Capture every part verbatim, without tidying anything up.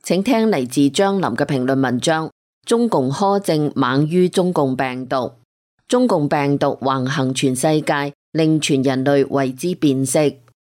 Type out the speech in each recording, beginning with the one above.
請聽嚟自張林嘅評論文章。中共苛政猛於中共病毒，中共病毒橫行全世界，令全人類為之變色。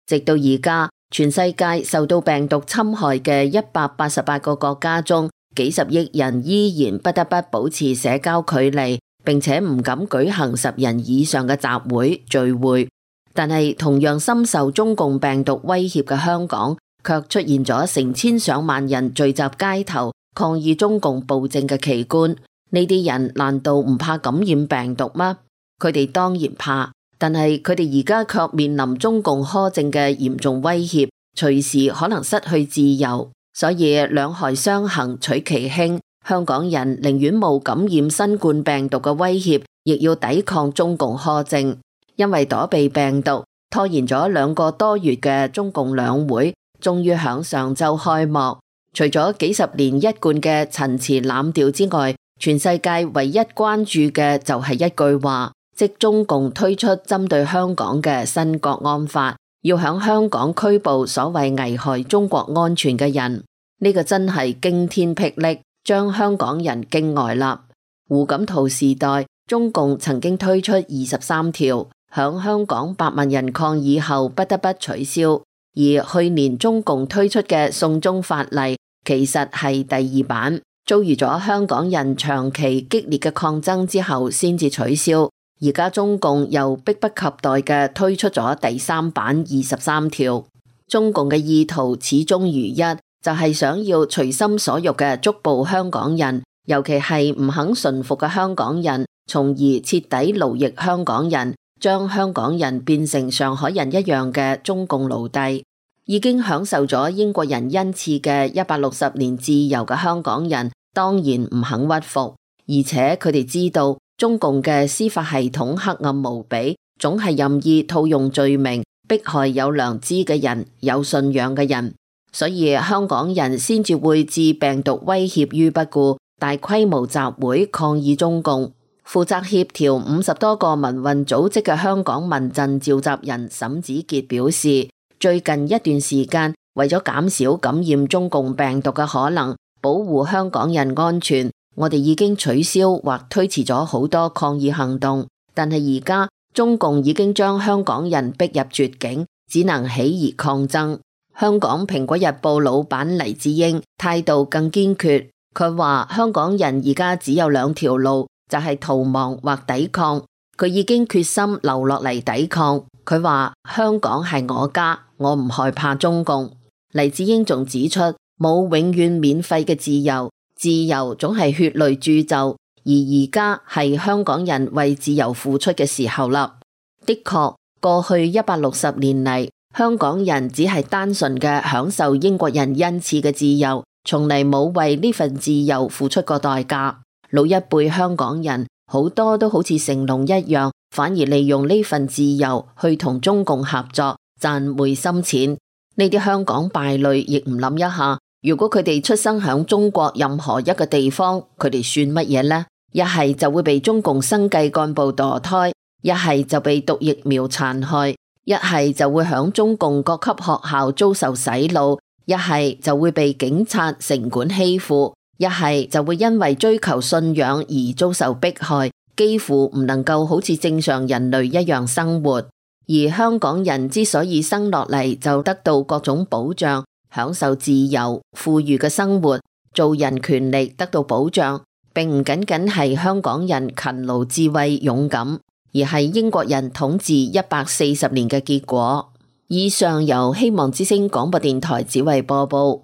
直到而家，全世界受到病毒侵害嘅一百八十八個國家中，幾十億人依然不得不保持社交距離，並且唔敢舉行十人以上嘅集會聚會。但係同樣深受中共病毒威脅嘅香港，卻出現咗成千上萬人聚集街頭抗議中共暴政嘅奇觀。呢啲人難道唔怕感染病毒嗎？佢哋當然怕，但係佢哋而家卻面臨中共苛政嘅嚴重威脅，隨時可能失去自由。所以兩害相衡取其輕，香港人寧願冒感染新冠病毒嘅威脅，亦要抵抗中共苛政。因為躲避病毒，拖延咗兩個多月嘅中共兩會終於響上週開幕。除咗幾十年一貫嘅陳詞濫調之外，全世界唯一關注嘅就係一句話，即中共推出針對香港嘅新國安法，要響香港拘捕所謂危害中國安全嘅人。呢個真係驚天霹靂，將香港人驚呆啦。胡錦濤時代，中共曾經推出二十三條，響香港百萬人抗議後不得不取消。而去年中共推出嘅送中法例，其實係第二版，遭遇咗香港人長期激烈嘅抗爭之後先至取消。而家中共又迫不及待嘅推出咗第三版二十三條。中共嘅意圖始終如一，就係想要隨心所欲嘅捉捕香港人，尤其係唔肯順服嘅香港人，從而徹底奴役香港人，將香港人變成上海人一樣嘅中共奴隸。已經享受咗英國人恩賜嘅一百六十年自由嘅香港人，當然唔肯屈服，而且佢哋知道中共嘅司法系統黑暗無比，總係任意套用罪名，迫害有良知嘅人、有信仰嘅人，所以香港人先至會置病毒威脅於不顧，大規模集會抗議中共。負責協調五十多個民運組織嘅香港民陣召集人沈子傑表示，最近一段時間，為咗減少感染中共病毒嘅可能，保護香港人安全，我哋已經取消或推遲咗好多抗議行動。但係而家中共已經將香港人逼入絕境，只能起而抗爭。香港蘋果日報老闆黎智英態度更堅決，佢話香港人而家只有兩條路，就係逃亡或抵抗。佢已經決心留落嚟抵抗。佢話香港係我家，我唔害怕中共。黎智英仲指出，冇永遠免費嘅自由，自由總係血淚鑄就，而而家係香港人為自由付出嘅時候啦。的確，過去一百六十年嚟，香港人只係單純嘅享受英國人恩賜嘅自由，從嚟冇為呢份自由付出過代價。老一輩香港人好多都好似成龍一樣，反而利用呢份自由去同中共合作賺昧心錢。呢啲香港敗類亦唔諗一下，如果佢哋出生響中國任何一個地方，佢哋算乜嘢呢？一係就會被中共生計幹部墮胎，一係就被毒疫苗殘害，一係就會響中共各級學校遭受洗腦，一係就會被警察城管欺負，一係就會因為追求信仰而遭受迫害，幾乎唔能夠好似正常人類一樣生活。而香港人之所以生落嚟就得到各種保障，享受自由富裕嘅生活，做人權利得到保障，並唔僅僅係香港人勤勞智慧勇敢，而係英國人統治一百四十年嘅結果。以上由希望之聲廣播電台子為播報。